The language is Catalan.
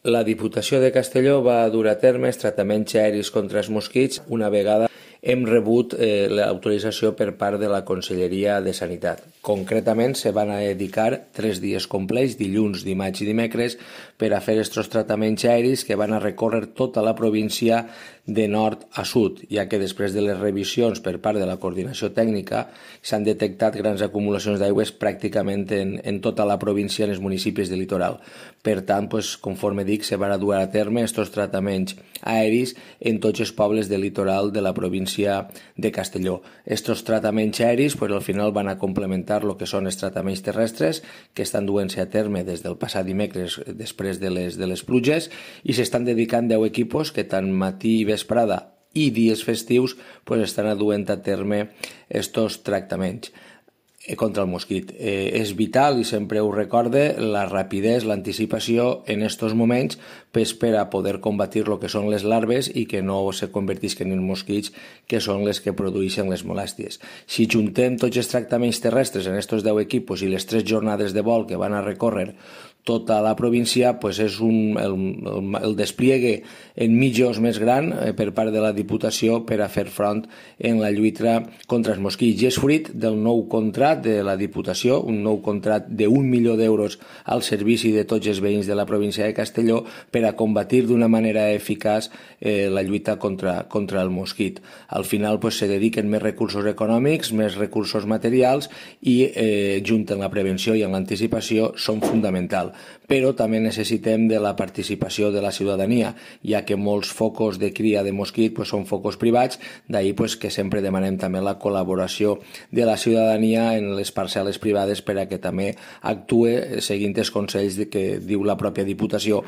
La Diputació de Castelló va dur a terme els tractaments aeris contra els mosquits una vegada hem rebut l'autorització per part de la Conselleria de Sanitat. Concretament, se van a dedicar 3 dies complets, dilluns, dimarts i dimecres, per a fer aquests tractaments aeris que van a recórrer tota la província de nord a sud, ja que després de les revisions per part de la coordinació tècnica s'han detectat grans acumulacions d'aigües pràcticament en tota la província, en els municipis del litoral. Per tant, conforme dic, se van a dur a terme aquests tractaments aeris en tots els pobles del litoral de la província de Castelló. Estos tractaments aeris al final van a complementar el que són els tractaments terrestres que estan duent-se a terme des del passat dimecres després de les pluges i s'estan dedicant 10 equipos que tant matí i vesprada i dies festius estan duent a terme estos tractaments contra el mosquit. És vital, i sempre ho recorde, la rapidesa, l'anticipació en aquests moments per a poder combatir el que són les larves i que no se convertisquen en mosquits, que són les que produeixen les molèsties. Si juntem tots els tractaments terrestres en aquests 10 equipos i les 3 jornades de vol que van a recórrer tota la província, és el despliegue en mitjos més gran per part de la Diputació per a fer front en la lluita contra els mosquits. I és fruit del nou contracte de la Diputació, un nou contracte de 1 milió d'euros al servici de tots els veïns de la província de Castelló per a combatir d'una manera eficaç la lluita contra el mosquit. Al final se dediquen més recursos econòmics, més recursos materials i junt amb la prevenció i amb l'anticipació són fonamentals. Però també necessitem de la participació de la ciutadania, ja que molts focus de cria de mosquit són focus privats, d'ahir que sempre demanem també la col·laboració de la ciutadania en les parcel·les privades per a que també actue seguint els consells que diu la pròpia Diputació